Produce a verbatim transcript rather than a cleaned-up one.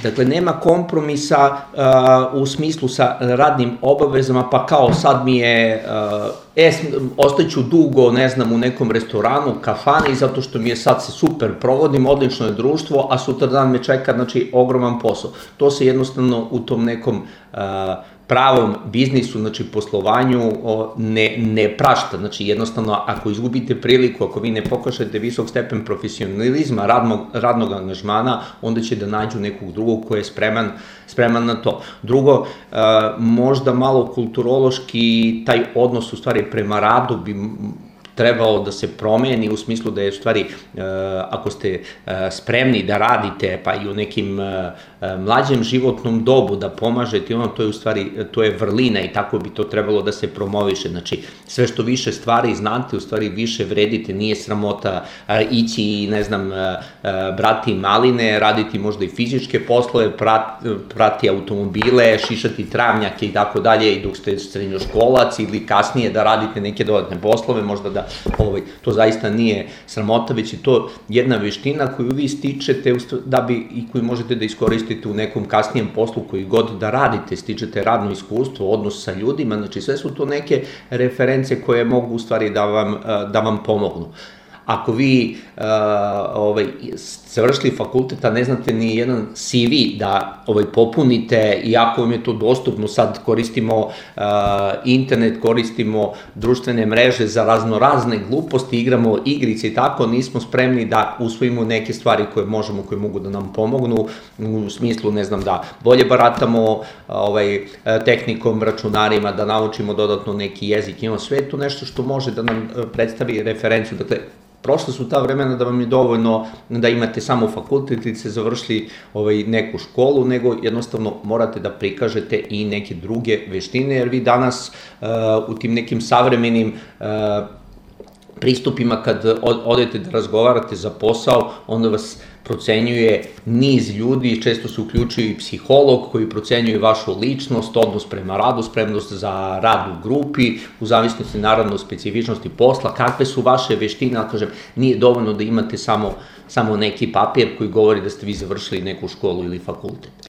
Dakle, nema kompromisa uh, u smislu sa radnim obavezama, pa kao sad mi je, uh, e, ostaću dugo, ne znam, u nekom restoranu, kafani, zato što mi je sad se super provodim, odlično je društvo, a sutra dan me čeka, znači, ogroman posao. To se jednostavno u tom nekom uh, pravom biznisu, znači poslovanju, ne, ne prašta. Znači jednostavno, ako izgubite priliku, ako vi ne pokažete visok stepen profesionalizma, radnog, radnog angažmana, onda će da nađu nekog drugog ko je spreman, spreman na to. Drugo, možda malo kulturološki taj odnos u stvari prema radu bi trebalo da se promeni u smislu da je u stvari, ako ste spremni da radite, pa i u nekim mlađem životnom dobu da pomažete, ono, to je u stvari, to je vrlina i tako bi to trebalo da se promoviše. Znači, sve što više stvari znate, u stvari više vredite, nije sramota ići i, ne znam, brati maline, raditi možda i fizičke poslove, prati automobile, šišati travnjake i tako dalje, i dok ste srednjoškolac ili kasnije da radite neke dodatne poslove, možda da Ovaj, to zaista nije sramota, već je to jedna veština koju vi stičete da bi, i koju možete da iskoristite u nekom kasnijem poslu koji god da radite, stičete radno iskustvo, odnos sa ljudima, znači sve su to neke reference koje mogu u stvari da vam, da vam pomognu. Ako vi uh, ovaj, završili fakultet, a ne znate ni jedan C V da ovaj, popunite, iako vam je to dostupno, sad koristimo uh, internet, koristimo društvene mreže za raznorazne gluposti, igramo igrice i tako, nismo spremni da usvojimo neke stvari koje možemo, koje mogu da nam pomognu, u smislu, ne znam, da bolje baratamo ovaj, tehnikom, računarima, da naučimo dodatno neki jezik, imamo sve to nešto što može da nam predstavi referenciju. Dakle, prošla su ta vremena da vam je dovoljno da imate samo fakultet ili ste završili ovaj, neku školu, nego jednostavno morate da prikažete i neke druge veštine, jer vi danas uh, u tim nekim savremenim uh, pristupima kad odete da razgovarate za posao, onda vas procenjuje niz ljudi, često se uključuje i psiholog koji procenjuje vašu ličnost, odnos prema radu, spremnost za rad u grupi, u zavisnosti naravno specifičnosti posla, kakve su vaše veštine, ali kažem, nije dovoljno da imate samo, samo neki papir koji govori da ste vi završili neku školu ili fakultet.